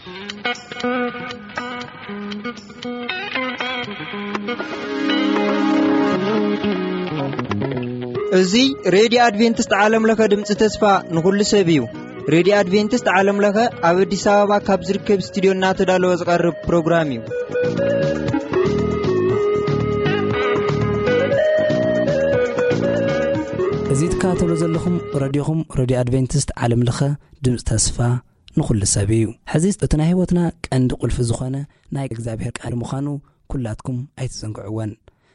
እዚ ሬድዮ ኣድቬንቲስት ዓለም ለኸ ድምፂ ተስፋ ንኹሉ ሰብ እዩ። ሬድዮ ኣድቬንቲስት ዓለም ለኸ ኣብ ኣዲስ ኣበባ ካብ ዝርከብ ስቱዲዮ እናተዳለወ ዝቐርብ ፕሮግራም እዩ። እዚ ትከታተሉ ዘለኹም ሬድዮኹም ሬድዮ ኣድቬንቲስት ዓለም ለኸ ድምፂ ተስፋ ንኹሉ ሰብ እዩ። ሕዚ እቲ ናይ ህይወትና ቀንዲ ቁልፊ ዝኾነ ናይ እግዚኣብሔር ቃል ምዃኑ ኩላትኩም ኣይትዘንግዕወን።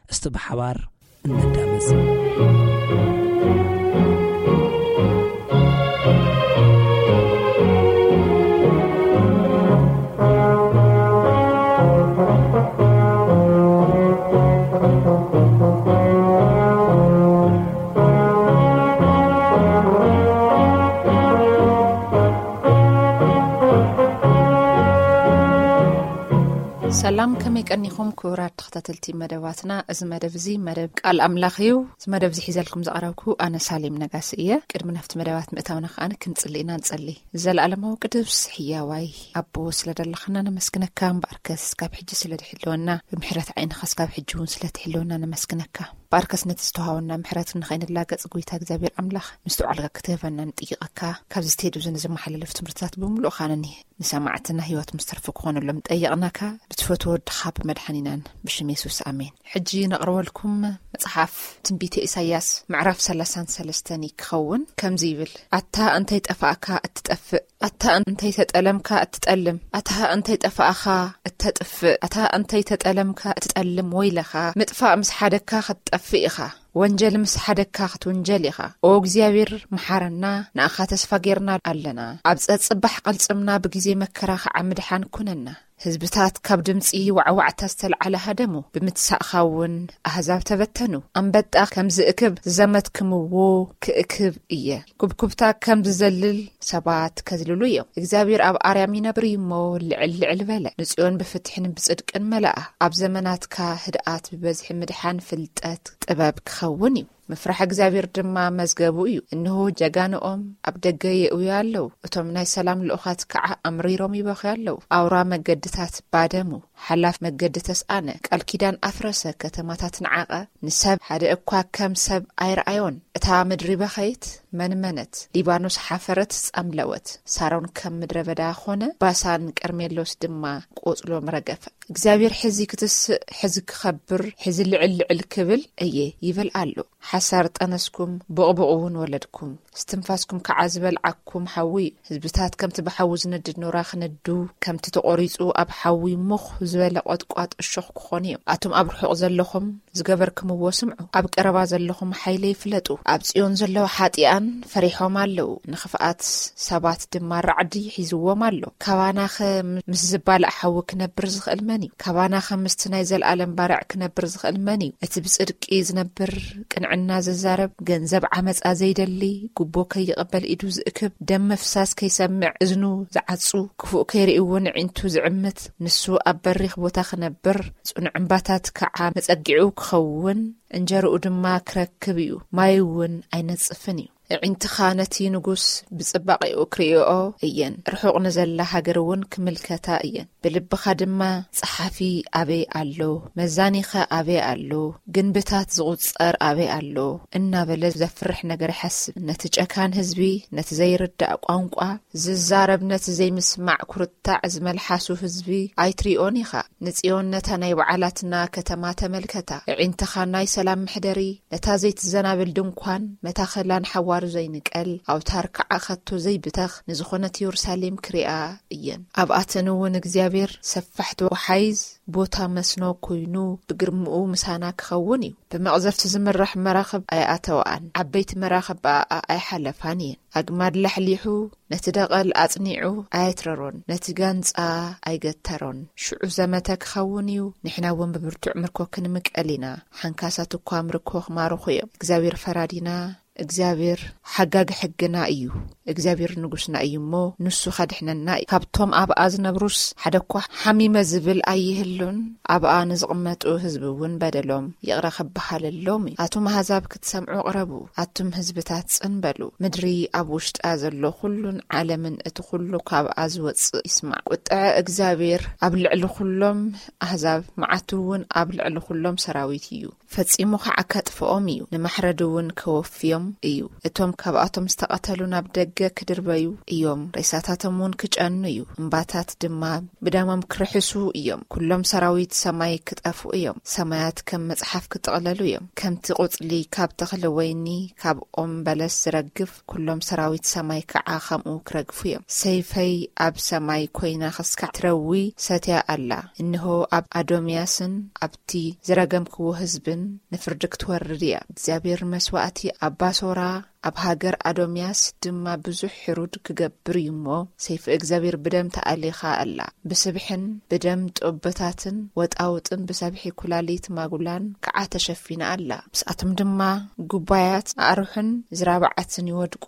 እስቲ ብሓባር እነዳመጽ። ሰላም፣ ከመይ ቀኒኹም ክቡራት ተኸታተልቲ መደባትና? እዚ መደብ እዚ መደብ ቃል ኣምላኽ እዩ። እዚ መደብ እዚ ሒዘልኩም ዝቐረብኩ ኣነ ሳሌም ነጋሲ እየ። ቅድሚ ናብቲ መደባት ምእታውና ከኣ ክንጽሊ ኢና። ንጸሊ። ዘለኣለማዊ ቅዱስ ሕያዋይ ኣቦ ስለ ደለኻና ነመስግነካ። እምበኣርከስ ካብ ሕጂ ስለ ድሕልወና፣ ብምሕረት ዓይንኻስ ካብ ሕጂ እውን ስለ ትሕልወና ነመስግነካ። እምበኣርከስ ነቲ ዝተዋሃበና ምሕረት ንኸይንላገጽ፣ ጎይታ እግዚኣብሔር ኣምላኽ፣ ምስትውዓልካ ክትህበና ንጥይቐካ። ካብዚ ስቴድዮ እዚ ንዝመሓላለፍ ትምህርትታት ብምሉእ ኻነኒ ንሰማዕትና ህይወት ምስ ተርፉ ክኾነሎም ጠየቕናካ፣ ብትፈትዎ ወድኻ ብመድሓኒናን ብሽም የሱስ፣ ኣሜን። ሕጂ ነቕርበልኩም መጽሓፍ ትንቢተ ኢሳይያስ ምዕራፍ ሰላሳን ሰለስተን ክኸውን ከምዚ ይብል፣ ኣታ እንተይ ጠፋእካ እትጠፍእ፣ ኣታ እንተይ ተጠለምካ እትጠልም፣ ኣታ እንተይ ጠፋእኻ እተጥፍእ፣ ኣታ እንተይ ተጠለምካ እትጠልም፣ ወይለኻ፣ ምጥፋእ ምስ ሓደግካ ክትጠፍእ ኢኻ። ወንጀል ምስ ሓደግካ ክትውንጀል ኢኻ። ኦ እግዚኣብሔር፣ መሓረና፣ ንኣኻ ተስፋ ጌርና ኣለና። ኣብ ጸጽባሕ ቅልጽምና ብግዜ መከራ ኸዓ ምድሓን ኩነና። ህዝብታት ካብ ድምጺ ዋዕዋዕታ ዝተልዓለ ሃደሙ፣ ብምትሳእኻ እውን ኣህዛብ ተበተኑ። ኣንበጣ ከም ዝእክብ ዝዘመትክምዎ ክእክብ እየ። ኩብኩብታ ከም ዝዘልል ሰባት ከዝልሉ እዮም። እግዚኣብሔር ኣብ ኣርያም ይነብር እዩ እሞ፣ ልዕል ልዕል በለ። ንጽዮን ብፍትሕን ብጽድቅን መለኣ። ኣብ ዘመናትካ ህድኣት ብበዝሒ ምድሓን ፍልጠት ጥበብ ክኸውን እዩ። ምፍራሕ እግዚኣብሔር ድማ መዝገቡ እዩ። እንሆ ጀጋንኦም ኣብ ደገ የእውዩ ኣለዉ። እቶም ናይ ሰላም ልኡኻት ከዓ ኣምሪሮም ይበኽዩ ኣለዉ። ኣውራ መገድታት ባደሙ፣ ሓላፍ መገዲ ተስኣነ፣ ቃል ኪዳን ኣፍረሰ፣ ከተማታት ነዓቐ፣ ንሰብ ሓደ እኳ ከም ሰብ ኣይረኣዮን። እታ ምድሪ በኸየት፣ መንመነት፣ ሊባኖስ ሓፈረት፣ ጸምለወት። ሳሮን ከም ምድረ በዳ ኾነ፣ ባሳን ቀርሜሎስ ድማ ቆጽሎም ረገፈ። እግዚኣብሔር ሕዚ ክትስእ፣ ሕዚ ክኸብር፣ ሕዚ ልዕል ልዕል ክብል እየ ይብል ኣሎ። ሓሳር ጠነስኩም፣ ብቕብቕ እውን ወለድኩም። እስትንፋስኩም ከዓ ዝበልዓኩም ሓዊ እዩ። ህዝብታት ከምቲ ብሓዊ ዝነድድ ኖራ ክነዱ፣ ከምቲ ተቖሪጹ ኣብ ሓዊ ሙኽ ዝበለ ቖጥቋጥ እሾኽ ክኾኑ እዮም። ኣቱም ኣብ ርሑቕ ዘለኹም ዝገበርክምዎ ስምዑ፣ ኣብ ቀረባ ዘለኹም ሓይለይ ፍለጡ። ኣብ ጽዮን ዘለዉ ሓጢኣን ፈሪሖም ኣለዉ፣ ንኽፍኣት ሰባት ድማ ራዕዲ ሒዝዎም ኣሎ። ካባናኸ ምስ ዝባላዕ ሓዊ ክነብር ዝኽእል መን እዩ? ካባናኸ ምስቲ ናይ ዘለኣለም ባርዕ ክነብር ዝኽእል መን እዩ? እቲ ብጽድቂ ዝነብር፣ ቅንዕና ዝዛረብ፣ ገንዘብ ዓመጻ ዘይደሊ፣ ጉቦ ከይቕበል ኢዱ ዝእክብ፣ ደም ምፍሳስ ከይሰምዕ እዝኑ ዝዓጹ፣ ክፉእ ከይርኢ እውን ኣዒንቱ ዝዕምት፣ ንሱ ኣብ በሪኽ ቦታ ክነብር፣ ጽኑዕ እምባታት ከዓ መጸጊዑ ክኸውን፣ እንጀርኡ ድማ ክረክብ እዩ፣ ማይ እውን ኣይነጽፍን እዩ። ኣዒንትኻ ነቲ ንጉስ ብጽባቐኡ ክርእይኦ እየን፣ ርሑቕ ንዘላ ሃገር እውን ክምልከታ እየን። ብልብኻ ድማ፣ "ጸሓፊ ኣበይ ኣሎ? መዛኒኸ ኣበይ ኣሎ? ግንብታት ዝቑጸር ኣበይ ኣሎ?" እናበለ ዘፍርሕ ነገር ይሓስብ። ነቲ ጨካን ህዝቢ፣ ነቲ ዘይርዳእ ቋንቋ ዝዛረብ፣ ነቲ ዘይምስማዕ ኩርታዕ ዝመልሓሱ ህዝቢ ኣይትሪኦን ኢኻ። ንጽዮን፣ ነታ ናይ በዓላትና ከተማ ተመልከታ። ኣዒንትኻ ናይ ሰላም መሕደሪ፣ ነታ ዘይትዘናብል ድንኳን፣ መታኸላን ሓዋሩ ዘይንቀል፣ ኣውታር ከዓ ኸቶ ዘይብተኽ ንዝኾነት የሩሳሌም ክሪኣ እየን። ኣብኣተን እውን እግዚኣብሔር ሰፋሕቲ ወሓይዝ ቦታ መስኖ ኮይኑ ብግርምኡ ምሳና ክኸውን እዩ። ብመቕዘፍቲ ዝምራሕ መራኽብ ኣይኣተወኣን፣ ዓበይቲ መራኽብ ብኣኣ ኣይሓለፋን እየን። ኣግማድ ላሕሊሑ፣ ነቲ ደቐል ኣጽኒዑ ኣየትረሮን፣ ነቲ ጋንጻ ኣይገተሮን። ሽዑ ዘመተ ክኸውን እዩ፣ ንሕና እውን ብብርቱዕ ምርኮ ክንምቀል ኢና። ሓንካሳት እኳ ምርኮ ክማርኹ እዮም። እግዚኣብሔር ፈራዲና፣ እግዚኣብሔር ሓጋጊ ሕግና እዩ። እግዚኣብሔር ንጉስና እዩ እሞ፣ ንሱ ኸድሕነና እዩ። ካብቶም ኣብኣ ዝነብሩስ ሓደ እኳ ሓሚመ ዝብል ኣይህሉን። ኣብኣ ንዝቕመጡ ህዝቢ እውን በደሎም ይቕረ ክበሃለሎም እዩ። ኣቱም ኣህዛብ ክትሰምዑ ቅረቡ፣ ኣቱም ህዝብታት ጽን በሉ። ምድሪ ኣብ ውሽጣ ዘሎ ኩሉን ዓለምን እቲ ኩሉ ካብኣ ዝወጽእ ይስማዕ። ቁጥዐ እግዚኣብሔር ኣብ ልዕሊ ኩሎም ኣህዛብ፣ መዓቱ እውን ኣብ ልዕሊ ኩሎም ሰራዊት እዩ። ፈጺሙ ኸዓ ከጥፍኦም እዩ፣ ንማሕረድ እውን ከወፍዮም እዩ። እቶም ካብኣቶም ዝተቐተሉ ናብ ደገ ክድርበዩ እዮም፣ ሬሳታቶም እውን ክጨኑ እዩ። እምባታት ድማ ብደሞም ክርሕሱ እዮም። ኩሎም ሰራዊት ሰማይ ክጠፍኡ እዮም። ሰማያት ከም መጽሓፍ ክጥቕለሉ እዮም። ከምቲ ቁጽሊ ካብ ተኽሊ ወይኒ፣ ካብ ኦም በለስ ዝረግፍ፣ ኩሎም ሰራዊት ሰማይ ከዓ ከምኡ ክረግፉ እዮም። ሰይፈይ ኣብ ሰማይ ኮይና ክስካዕ ትረዊ ሰትያ ኣላ። እንሆ ኣብ ኣዶምያስን ኣብቲ ዝረገምክዎ ህዝብን ንፍርዲ ክትወርድ እያ። እግዚኣብሔር መስዋእቲ ኣብ ባሶራ፣ ኣብ ሃገር ኣዶምያስ ድማ ብዙሕ ሕሩድ ክገብር እዩ እሞ፣ ሰይፊ እግዚኣብሔር ብደም ተኣሊኻ ኣላ። ብስብሕን ብደም ጦበታትን ወጣውጥን ብሰብሒ ኩላሊት ማጉላን ከዓ ተሸፊና ኣላ። ምስኣቶም ድማ ጉባያት ኣዕሩሕን ዝራብዓትን ይወድቁ፣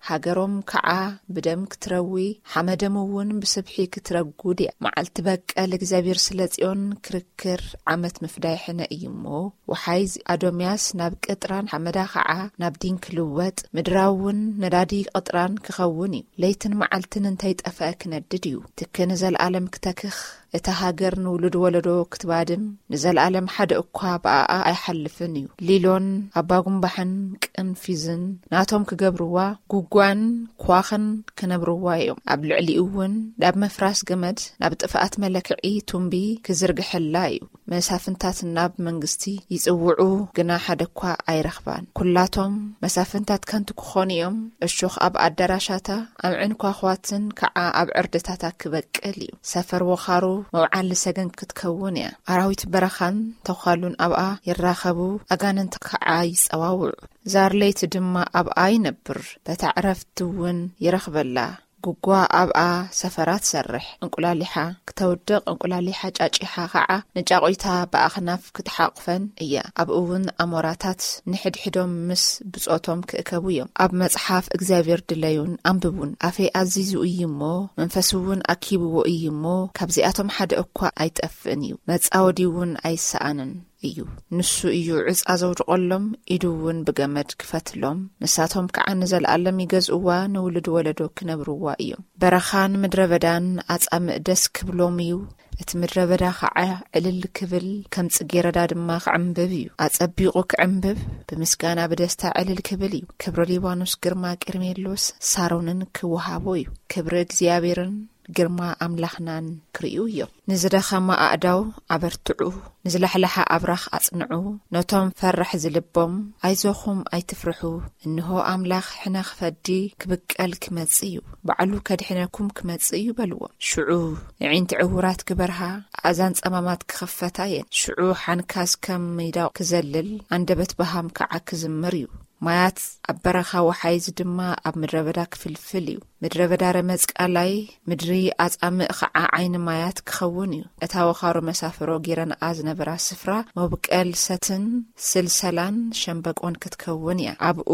ሃገሮም ከዓ ብደም ክትረዊ፣ ሓመዶም እውን ብስብሒ ክትረጉድ እያ። መዓልቲ በቀል እግዚኣብሔር ስለ ጽዮን ክርክር፣ ዓመት ምፍዳይ ሕነ እዩ እሞ፣ ወሓይዝ ኣዶምያስ ናብ ቅጥራን፣ ሓመዳ ኸዓ ናብ ዲን ክልወጥ፣ ምድራ እውን ነዳዲ ቅጥራን ክኸውን እዩ። ለይትን መዓልትን እንተይጠፍአ ክነድድ እዩ። ትኪ ንዘለኣለም ክተክኽ፣ እታ ሃገር ንውሉድ ወለዶ ክትባድም፣ ንዘለኣለም ሓደ እኳ ብኣኣ ኣይሓልፍን እዩ። ሊሎን ኣባጉምባሕን ቅንፊዝን ናቶም ክገብርዋ፣ ጉጓን ኳኽን ክነብርዋ እዮም። ኣብ ልዕሊኡ እውን ናብ ምፍራስ ገመድ፣ ናብ ጥፍኣት መለክዒ ቱምቢ ክዝርግሐላ እዩ። መሳፍንታት ናብ መንግስቲ ይጽውዑ፣ ግና ሓደ እኳ ኣይረኽባን። ኩላቶም መሳፍንታት ከንቱ ክኾኑ እዮም። እሾኽ ኣብ ኣዳራሻታ፣ ኣምዕን ኳኽዋትን ከዓ ኣብ ዕርድታታ ክበቅል እዩ። ሰፈር ወኻሩ መውዓሊ ሰገን ክትከውን እያ። ኣራዊት በረኻን ተዃሉን ኣብኣ ይራኸቡ፣ ኣጋንንቲ ከዓ ይጸዋውዑ። ዛር ለይቲ ድማ ኣብኣ ይነብር፣ በታ ዕረፍቲ እውን ይረኽበላ። ጉጓ ኣብኣ ሰፈራ ትሰርሕ፣ እንቁላሊሓ ክተውድቕ፣ እንቁላሊሓ ጫጪሓ ኸዓ ንጫቑይታ ብኣኽናፍ ክትሓቑፈን እያ። ኣብኡ እውን ኣሞራታት ንሕድሕዶም ምስ ብጾቶም ክእከቡ እዮም። ኣብ መጽሓፍ እግዚኣብሔር ድለዩን ኣንብቡን። ኣፈይ ኣዚዙ እዩ እሞ፣ መንፈሱ እውን ኣኪብዎ እዩ እሞ፣ ካብዚኣቶም ሓደ እኳ ኣይጠፍእን እዩ፣ መጻወዲ እውን ኣይሰኣንን እዩ። ንሱ እዩ ዕጻ ዘውድቐሎም፣ ኢዱ እውን ብገመድ ክፈትሎም። ንሳቶም ከዓ ንዘለኣለም ይገዝእዋ፣ ንውሉድ ወለዶ ክነብርዋ እዮም። በረኻን ምድረ በዳን ኣጻምእ ደስ ክብሎም እዩ። እቲ ምድረ በዳ ከዓ ዕልል ክብል፣ ከም ጽጌረዳ ድማ ክዕምብብ እዩ። ኣጸቢቑ ክዕምብብ፣ ብምስጋና ብደስታ ዕልል ክብል እዩ። ክብሪ ሊባኖስ፣ ግርማ ቀርሜሎስ፣ ሳሮንን ክወሃቦ እዩ። ክብሪ እግዚኣብሔርን ግርማ ኣምላኽናን ክርእዩ እዮም። ንዝደኸማ ኣእዳው ኣበርትዑ፣ ንዝላሕላሓ ኣብራኽ ኣጽንዑ፣ ነቶም ፈራሕ ዝልቦም፣ "ኣይዞኹም፣ ኣይትፍርሑ፣ እንሆ ኣምላኽ ሕነ ክፈዲ ክብቀል ክመጽእ እዩ፣ ባዕሉ ከድሕነኩም ክመጽእ እዩ" በልዎም። ሽዑ ኣዒንቲ ዕዉራት ክበርሃ፣ ኣእዛን ጸማማት ክኽፈታ እየን። ሽዑ ሓንካስ ከም ሚዳቕ ክዘልል፣ ኣንደበት በሃም ከዓ ክዝምር እዩ። ማያት ኣብ በረኻ፣ ወሓይዝ ድማ ኣብ ምድረ በዳ ክፍልፍል እዩ። ምድረ በዳ ረመጽ ቃላይ፣ ምድሪ ኣጻምእ ኸዓ ዓይኒ ማያት ክኸውን እዩ። እታ ወኻሩ መሳፍሮ ጌረንኣ ዝነበራ ስፍራ፣ መብቀል ሰትን ስልሰላን ሸምበቆን ክትከውን እያ። ኣብኡ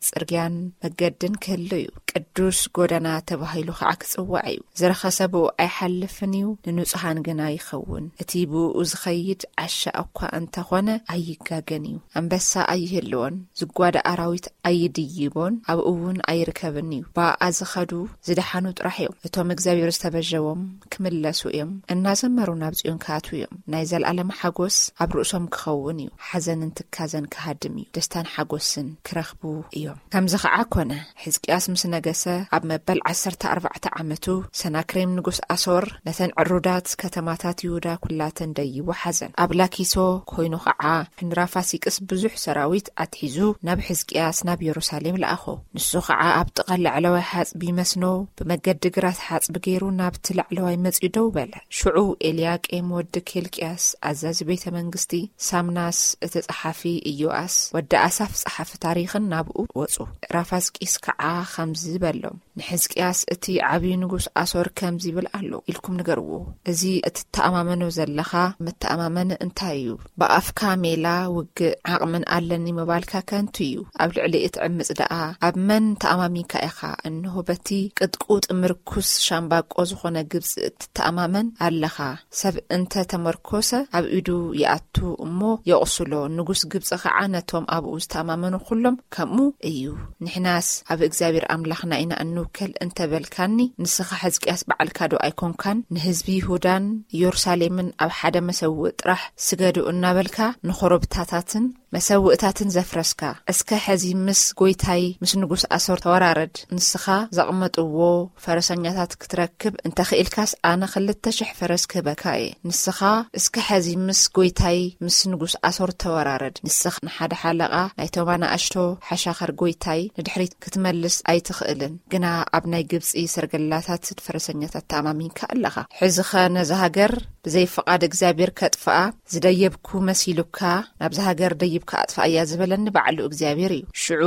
ጽርግያን መገድን ክህሉ እዩ። ቅዱስ ጎደና ተባሂሉ ኸዓ ክጽዋዕ እዩ። ዝረኸሰ ብኡ ኣይሓልፍን እዩ፣ ንንጹሃን ግና ይኸውን። እቲ ብኡ ዝኸይድ ዓሻ እኳ እንተኾነ ኣይጋገን እዩ። ኣንበሳ ኣይህልዎን፣ ዝጓዳ ኣራዊት ኣይድይቦን፣ ኣብኡ እውን ኣይርከብን እዩ። ብኣኣ ዝኸዱ ዝደሓኑ ጥራሕ እዮም። እቶም እግዚኣብሔር ዝተበጀዎም ክምለሱ እዮም። እናዘመሩ ናብ ጽዮን ክኣትዉ እዮም። ናይ ዘለኣለም ሓጎስ ኣብ ርእሶም ክኸውን እዩ። ሓዘንን ትካዘን ክሃድም እዩ። ደስታን ሓጎስን ክረኽቡ እዮም። ከምዚ ኸዓ ኮነ። ሕዝቅያስ ምስ ነገሰ ኣብ መበል ዓሰርተ ኣርባዕተ ዓመቱ፣ ሰናክሬም ንጉስ ኣሶር ነተን ዕሩዳት ከተማታት ይሁዳ ኩላተን ደይቡ ሓዘን። ኣብ ላኪሶ ኮይኑ ኸዓ፣ ንራፋሲቅስ ብዙሕ ሰራዊት ኣትሒዙ ናብ ሕዝቅያስ ናብ የሩሳሌም ለኣኾ። ንሱ ኸዓ ኣብ ጥቓ ላዕለዋይ ሓጽቢ መስኖ ብመገዲ ግራት ሓጽቢ ገይሩ ናብቲ ላዕለዋይ መጺኡ ደው በለ። ሽዑ ኤልያቄም ወዲ ኬልቅያስ ኣዛዚ ቤተ መንግስቲ፣ ሳምናስ እቲ ጸሓፊ፣ ኢዮኣስ ወዲ ኣሳፍ ጸሓፊ ታሪኽን ናብኡ ወጹ። ራፋስቂስ ከዓ ከምዚ በሎም፣ ንሕዝቅያስ እቲ ዓብዪ ንጉስ ኣሶር ከምዚ ይብል ኣሎ ኢልኩም ንገርዎ። እዚ እትተኣማመኖ ዘለኻ መተኣማመኒ እንታይ እዩ? ብኣፍካ ሜላ ውግእ ዓቕምን ኣለኒ ምባልካ ከንቱ እዩ። ኣብ ልዕሊ እቲ ዕምጽ ደኣ ኣብ መን ተኣማሚንካ ኢኻ? እንሆ በቲ ቅጥቁጥ ምርኩስ ሻምባቆ ዝኾነ ግብጺ እትተኣማመን ኣለኻ። ሰብ እንተ ተመርኮሰ ኣብ ኢዱ ይኣቱ እሞ የቑስሎ። ንጉስ ግብጺ ኸዓ ነቶም ኣብኡ ዝተኣማመኑ ኩሎም ከምኡ እዩ። ንሕናስ ኣብ እግዚኣብሔር ኣምላኽና ኢና እንውከል እንተበልካኒ፣ ንስኻ ሕዝቅያስ በዓልካ ዶ ኣይኮንካን? ንህዝቢ ይሁዳን ኢየሩሳሌምን ኣብ ሓደ መሰውእ ጥራሕ ስገዱ እናበልካ ንኾረብታታትን መሰውእታትን ዘፍረስካ፣ እስከ ሕዚ ምስ ጎይታይ ምስ ንጉስ ኣሶር ተወራረድ። ንስኻ ዘቕመጥዎ ፈረሰኛታት ክትረክብ እንተኽኢልካስ፣ ኣነ ክልተ ሽሕ ፈረስ ክህበካ እየ። ንስኻ እስከ ሕዚ ምስ ጎይታይ ምስ ንጉስ ኣሶር ተወራረድ። ንስኻ ንሓደ ሓለቓ ናይቶም ኣናእሽቶ ሓሻኸር ጎይታይ ንድሕሪት ክትመልስ ኣይትኽእልን። ግና ኣብ ናይ ግብጺ ሰርገላታት ፈረሰኛታት ተኣማሚንካ ኣለኻ። ሕዚኸ ነዛ ሃገር ብዘይ ፍቓድ እግዚኣብሔር ከጥፍኣ ዝደየብኩ መሲሉካ፣ ናብዛ ሃገር ደይብካ ኣጥፍኣያ ዝበለኒ ባዕሉ እግዚኣብሔር እዩ። ሽዑ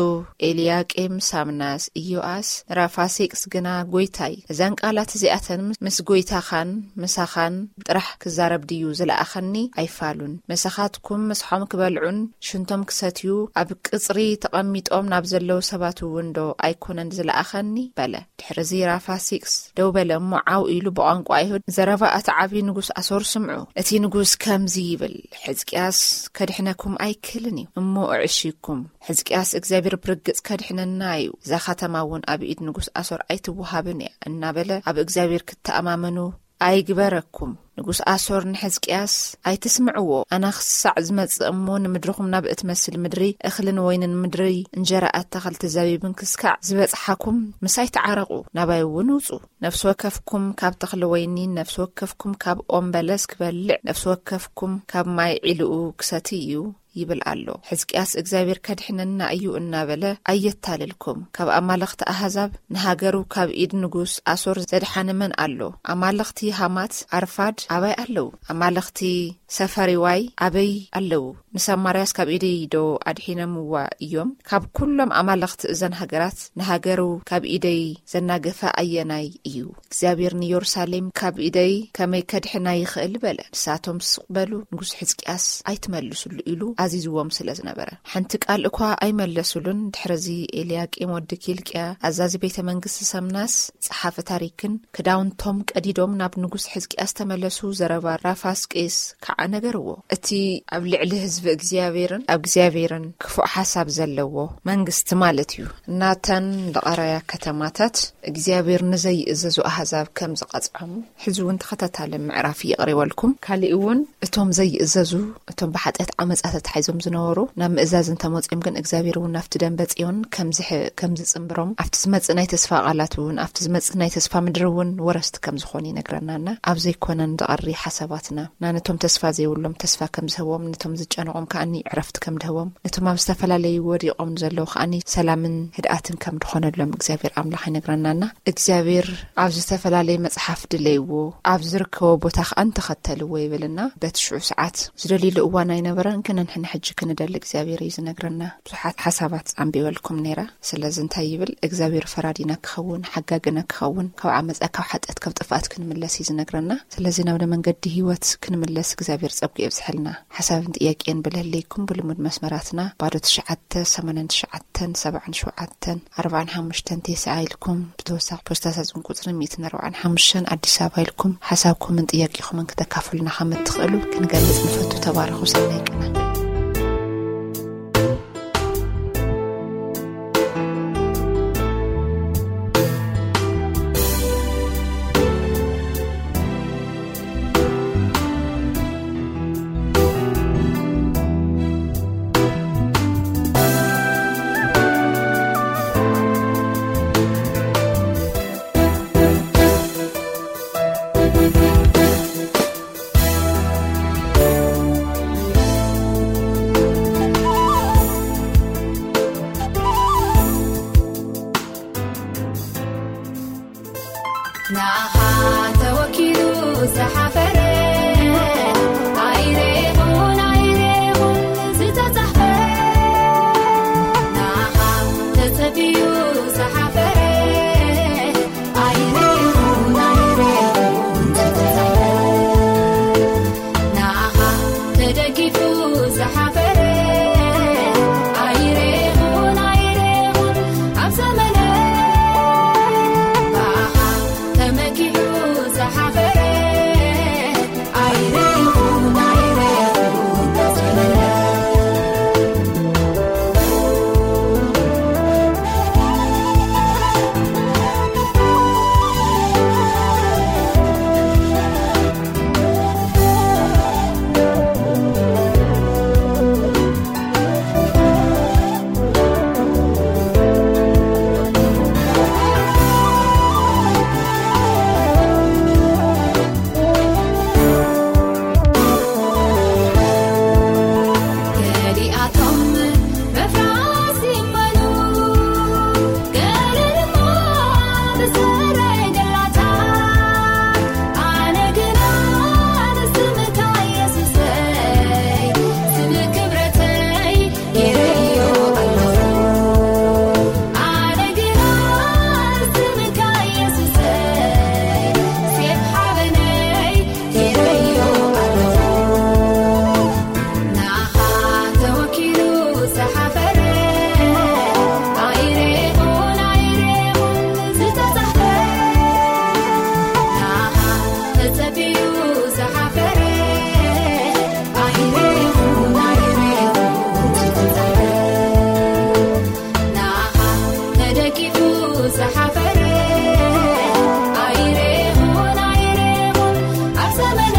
ኤልያቄም፣ ሳምናስ፣ ኢዮኣስ፣ ራፋሴቅስ ግና፣ ጎይታይ፣ እዘን ቃላት እዚኣተን ምስ ጎይታኻን ምሳኻን ጥራሕ ክዛረብ ድዩ ዝለኣኸኒ? ኣይፋሉን። ምሳኻትኩም ምሳሖም ክበልዑን ሽንቶም ክሰትዩ ኣብ ቅጽሪ ተቐሚጦም ናብ ዘለዉ ሰባት እውን ዶ ኣይኮነን ዝለኣኸኒ? በለ። ድሕርዚ ራፋሲቅስ ደው በለ እሞ ዓው ኢሉ ብቋንቋ ኣይሁድ፣ ዘረባ እቲ ዓብዪ ንጉስ ኣሶር ስምዑ። እቲ ንጉስ ከምዚ ይብል፣ ሕዝቅያስ ከድሕነኩም ኣይክእልን እዩ እሞ እዕሺኩም። ሕዝቅያስ እግዚኣብሔር ብርግጽ ከድሕነና እዩ፣ እዛ ኸተማ እውን ኣብ ኢድ ንጉስ ኣሶር ኣይትወሃብን እያ እናበለ ኣብ እግዚኣብሔር ክትተኣማመኑ ኣይግበረኩም። ንጉስ ኣሶር ንሕዝቅያስ፣ ኣይትስምዕዎ፣ ኣና ክሳዕ ዝመጽእ እሞ ንምድርኹም ናብ እትመስል ምድሪ እኽልን ወይንን ምድሪ እንጀራ ኣታኽልቲ ዘቢብን ክስካዕ ዝበጽሓኩም ምሳይ ተዓረቑ፣ ናባይ እውን ውጹ። ነፍሲ ወከፍኩም ካብ ተኽሊ ወይኒ፣ ነፍሲ ወከፍኩም ካብ ኦም በለስ ክበልዕ፣ ነፍሲ ወከፍኩም ካብ ማይ ዒልኡ ክሰቲ እዩ ይብል ኣሎ። ሕዝቅያስ እግዚኣብሔር ከድሕነና እዩ እናበለ ኣየታልልኩም። ካብ ኣማልኽቲ ኣህዛብ ንሃገሩ ካብ ኢድ ንጉስ ኣሶር ዘድሓነ መን ኣሎ? ኣማልኽቲ ሃማት ኣርፋድ ኣበይ ኣለዉ? ኣማልኽቲ ሰፈሪዋይ ኣበይ ኣለዉ? ንሰማርያስ ካብ ኢደይ ዶ ኣድሒኖምዋ እዮም? ካብ ኩሎም ኣማልኽቲ እዘን ሃገራት ንሃገሩ ካብ ኢደይ ዘናገፈ ኣየናይ እዩ? እግዚኣብሔር ንኢየሩሳሌም ካብ ኢደይ ከመይ ከድሕና ይኽእል? በለ። ንሳቶም ስቕ በሉ፣ ንጉስ ሕዝቅያስ ኣይትመልሱሉ ኢሉ ኣዚዝዎም ስለ ዝነበረ። ሓንቲ ቃል እኳ ኣይመለሱሉን። ድሕርዚ ኤልያቄም ወዲ ኪልቅያ፣ ኣዛዚ ቤተ መንግስቲ ሰምናስ፣ ጸሓፊ ታሪክን ክዳውንቶም ቀዲዶም ናብ ንጉስ ሕዝቅያስ ተመለሱ። ዘረባ ራፋስቄስ ከዓ ነገርዎ። እቲ ኣብ ልዕሊ ህዝቢ እግዚኣብሔርን ኣብ እግዚኣብሔርን ክፉእ ሓሳብ ዘለዎ መንግስቲ ማለት እዩ። ናተን ዝቐረያ ከተማታት እግዚኣብሔር ንዘይእዘዙ ኣህዛብ ከም ዝቐጽዖም ሕዚ እውን ተኸታታሊ ምዕራፍ ይቕርበልኩም። ካሊእ እውን እቶም ዘይእዘዙ፣ እቶም ብሓጢኣት ዓመጻ ተታሒዞም ዝነበሩ ናብ ምእዛዝ እንተመጺኦም ግን እግዚኣብሔር እውን ናብቲ ደንበ ጽዮን ከም ዝሕ-፣ ከም ዝጽንብሮም፣ ኣብቲ ዝመጽእ ናይ ተስፋ ቃላት እውን፣ ኣብቲ ዝመጽእ ናይ ተስፋ ምድሪ እውን ወረስቲ ከም ዝኾኑ ይነግረናና። ኣብ ዘይኮነን ዝቐሪ ሓሳባትና፣ ናነቶም ተስፋ ዘይብሎም ተስፋ ከም ዝህቦም፣ ነቶም ዝጨነቖም ከኣኒ ዕረፍቲ ከም ድህቦም፣ ነቶም ኣብ ዝተፈላለዩ ወዲቖም ንዘለዉ ከኣኒ ሰላምን ህድኣትን ከም ድኾነሎም እግዚኣብሔር ኣምላኽ ይነግረናና። እግዚኣብሔር ኣብ ዝተፈላለየ መጽሓፍ ድለይዎ፣ ኣብ ዝርከቦ ቦታ ከኣ እንተኸተልዎ ይብልና። በቲ ሽዑ ሰዓት ዝደልይሉ እዋን ኣይነበረን፣ ግን ንሕና ሕጂ ክንደሊ እግዚኣብሔር እዩ ዝነግረና። ብዙሓት ሓሳባት ኣንቢበልኩም ነይረ። ስለዚ እንታይ ይብል? እግዚኣብሔር ፈራዲና ክኸውን፣ ሓጋግና ክኸውን፣ ካብ ዓመጻ፣ ካብ ሓጢኣት፣ ካብ ጥፍኣት ክንምለስ እዩ ዝነግረና። ስለዚ ናብ መንገዲ ህይወት ክንምለስ እግዚኣብሔር ጸጉ የብዝሐልና። ሓሳብን ጥያቄን ብልህለይኩም ብልሙድ መስመራትና ባዶ ትሽዓተ፣ ሰማንያን ትሽዓተን፣ ሰብዓን ሸውዓተን፣ ኣርባዓን ሓሙሽተን፣ ተስዓ ኢልኩም ብተወሳኺ ፖስታ ሳጥን ቁጽሪ ሚእትን ኣርባዓን ሓሙሽተን ኣዲስ ኣበባ ኢልኩም ሓሳብኩምን ጥያቄኹምን ክተካፍሉና ከም እትኽእሉ ክንገልጽ ንፈቱ። ተባረኹ። ሰናይ ቅነ። ንኣኻ ተወኪሉ ዝሓፈረ ኣይሬኹን ኣይሬኹን ዝተጻሕፈ፣ ንኣኻ ተጸቢዩ ዝሓፈረ ኣይሬኹን ኣይሬኹን ዝተጻሕፈ፣ ንኣኻ ተደጊፉ ዝሓፈረ ኣይሬኹን ኣይሬኹን ኣብ ዘመነ ብኣኻ ተመኪሑ ዝሓፈረ ኣይሬኹን ኣይሬኹን ተዘመነ። ገሊኣቶም በፍራስ ይመኑ፣ ገለ ድማ ብሰረገላታት። ኣነ ግና ንስምካ የሱሰይ፣ ስም ክብረተይ ገይረዮ ኣለኹ። ኣነ ግና ንስምካ የሱሰይ፣ ሴፍ ሓበነይ ገይረዮ ኣለኹ። ንኣኻ ተወኪሉ ዝሓፈረ ኣይሬኹን ኣይሬኹን ዝተጻሕፈ፣ ንኣኻ ተጸቢዩ ዝሓፈረ ኣይሬኹን ኣይሬኹን ዝተጻሕፈ፣ ንኣኻ ተደጊፉ ዝሓፈረ ኣይሬኹን ኣይሬኹን ኣብ ዘመነ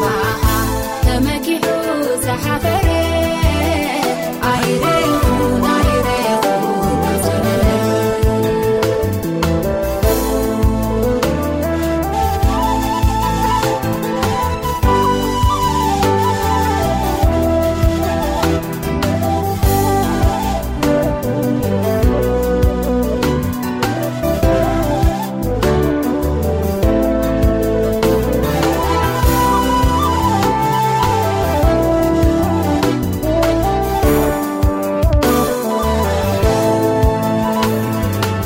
ብኣኻ ተመኪሑ ዝሓፈረ ኣይሬኹን ኣይሬኹን ኣብ ዘመነ።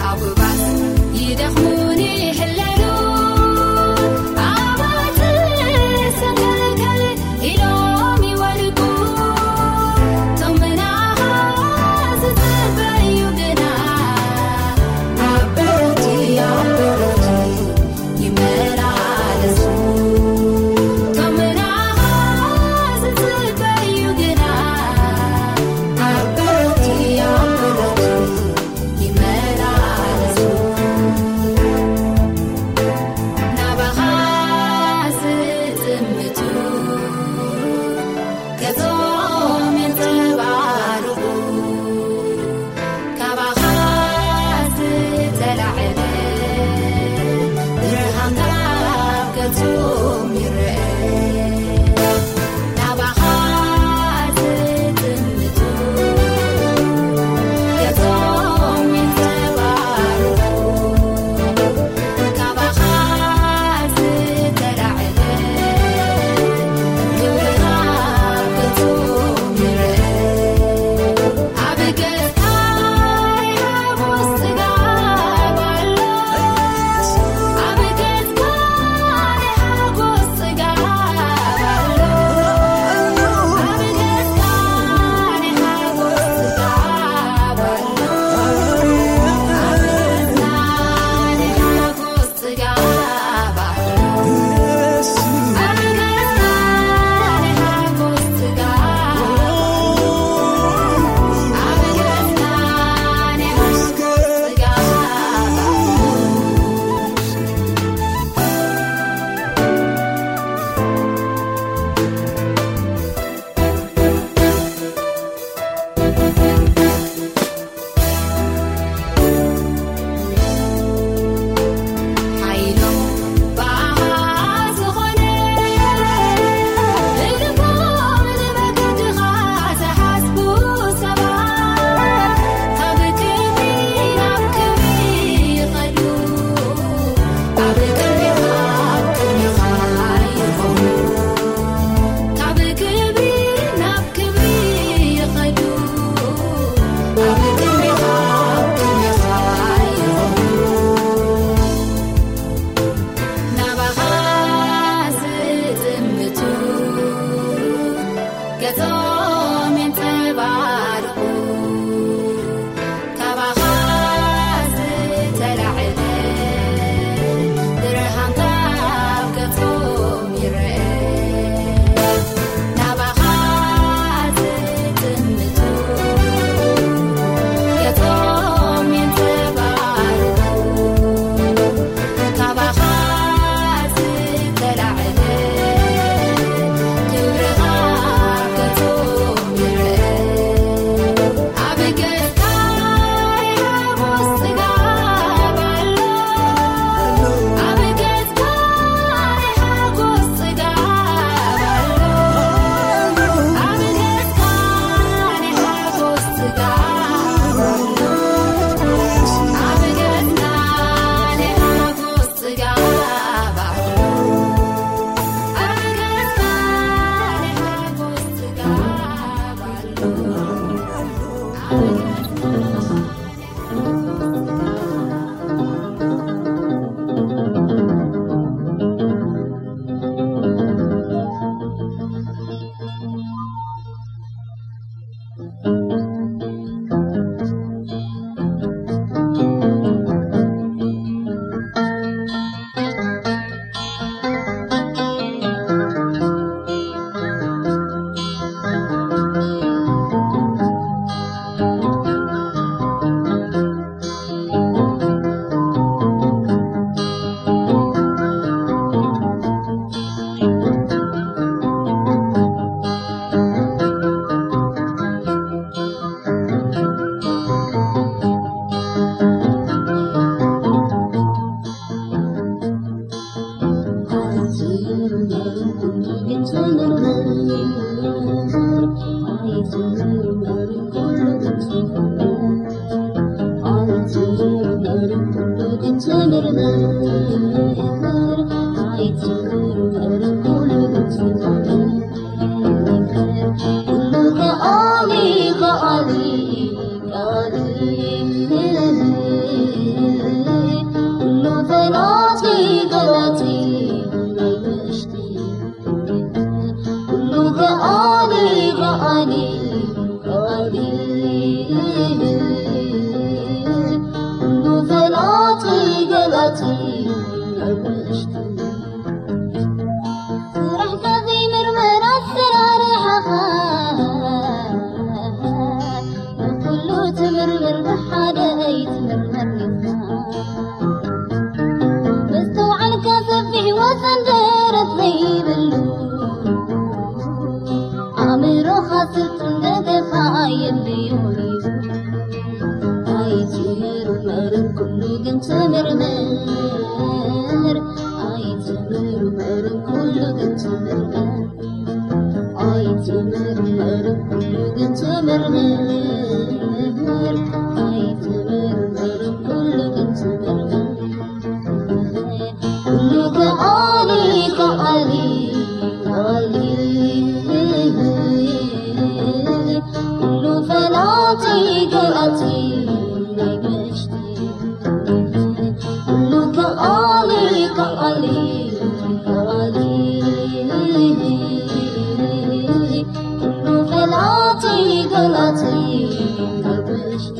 ኣጉባዝ ይደኽሙን ይሕለሉ፣ ኣባትር ሰንከልከል ኢሎም ይወድቁ። እቶም ናኻ ዝጽበዩ ግና ኣብ በረቲ፣ ኣብ በረቲ ይመላለሱ። እቶም ናኻ ዝጽበዩ ግና ኣብ በረቲ፣ ኣብ በረቲ ይመላለሱ። ስራሕካ ዘይምርመር ኣሰራርሓኻ፣ ንኩሉ ትምርምር ብሓደ ኣይትምርመር ኢኻ። መስተውዓልካ ሰፊሕ ወሰን ደረት ዘይብሉ፣ ኣእምሮኻ ስልጡን ደገፋ ኣየድልዮን እዩ። ኣይትምርመርን ኩሉ ግን ትምርምር፣ ኣይትምርመርን ኩሉ ግን ትምርምር፣ ኣይትምርመርን ኩሉ ግን ትምርምር፣ ኣይትምርመርን ኩሉ ግን ትምርምር። ኩሉ ከኣሊ ከኣሊ ከኣሊ፣ ኩሉ ፈላጢ ገላጺ ናይ ብሕሽቲ። ኩሉ ከኣሊ ከኣሊ ከኣሊ፣ ኩሉ ፈላጢ ገላጺ ናይ ብሕሽቲ።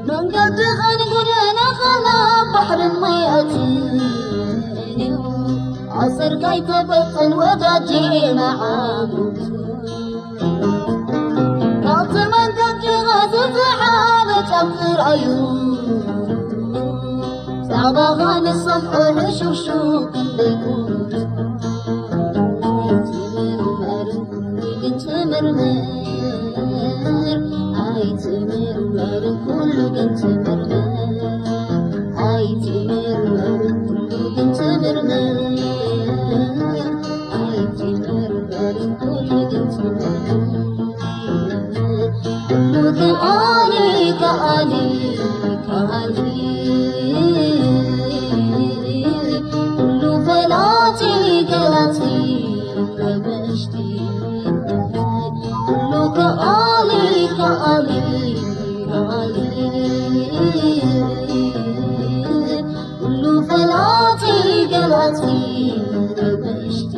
መንገድኻን ጎደናኻን ኣብ ባሕርን ማይ ኣትዩ፣ ኣሰርካ ኣይተበጥን ወዳጄ ንዓኡ። ካብቲ መንገድኻ ዝሰሓበ ጫፍ ጥራዩ፣ ዛዕባኻ ንሰምዖ ሕሹኽሹኽ ክንደይ ክቡር። ኣይትምርመርን ኩሉ ግን ትምርምር፣ ኣይትምርመርን ኩሉ ግን ትምርምር፣ ኣይትምርመርን ኩሉ ግን ትምርምር፣ ኣይትምርመርን ኩሉ ግን ትምርምር። ኩሉ ከኣሊ ከኣሊ ከኣሊ፣ ኩሉ ፈላጢ ገላጺ ናይ ብሕሽቲ። ኩሉ ከኣሊ ከኣሊ ከኣሊ፣ ኩሉ ፈላጢ ገላጺ ናይ ብሕሽቲ።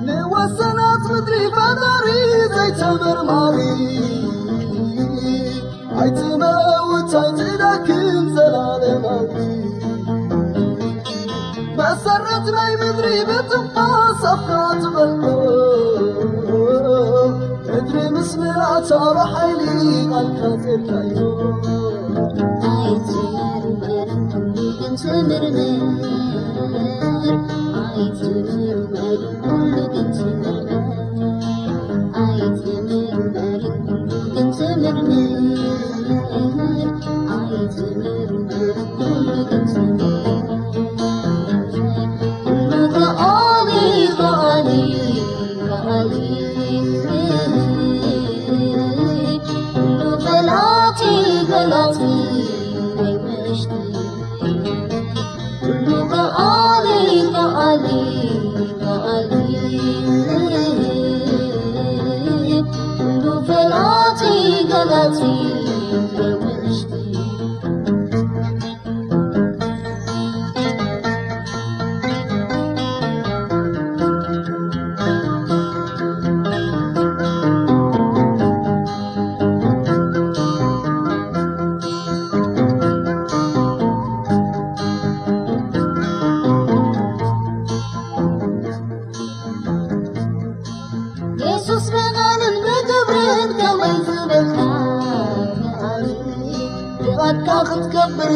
ንወሰናት ምድሪ ፈጣሪ ዘይተመርማሪ፣ ኣይትመውት ኣይትደክም ዘላለማዊ። መሰረት ናይ ምድሪ ብትንፋስ ኣፍካ ትበልዖ፣ ምድሪ ምስ ምልኣታ ብሓይሊ ቃልካ ጼርካዮ። ኣይትመርመርን ኩሉ ግን ትምርምር፣ ኣይትመርመርን ኩሉ ግን ትምርምር፣ ኣይትመርመርን ኩሉ ግን ትምርምር፣ ኣይትመርመርን ኩሉ ግን ትምርምር። ኩሉ ከኣሊ ከኣሊ ከኣሊ፣ ኩሉ ፈላጢ ገላጺ ናይ ብሕሽቲ። ኩሉ ከኣሊ ከኣሊ ከኣሊ፣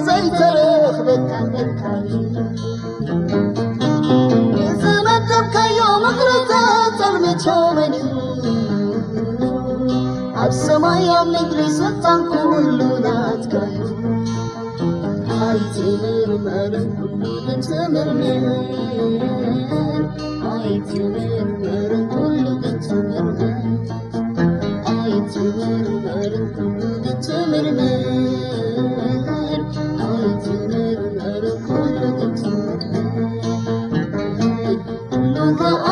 ዘይተረኽበካ መካኒ ዝመደብካዮ መቕረተ ጸልምቶ መን እዩ? ኣብ ሰማይ ኣብ ምድሪ ስልጣን ኩሉ ናትካ እዩ። ኣይትምርመርን ኩሉ ግን ትምርምር። ኣይትምርመርን ኩሉ ግን ትምርምር። ኣይትምርመርን ኩሉ ግን ትምርምር። ኣይትምርመርን ኩሉ ግን ትምርምር። ኩሉ ከኣ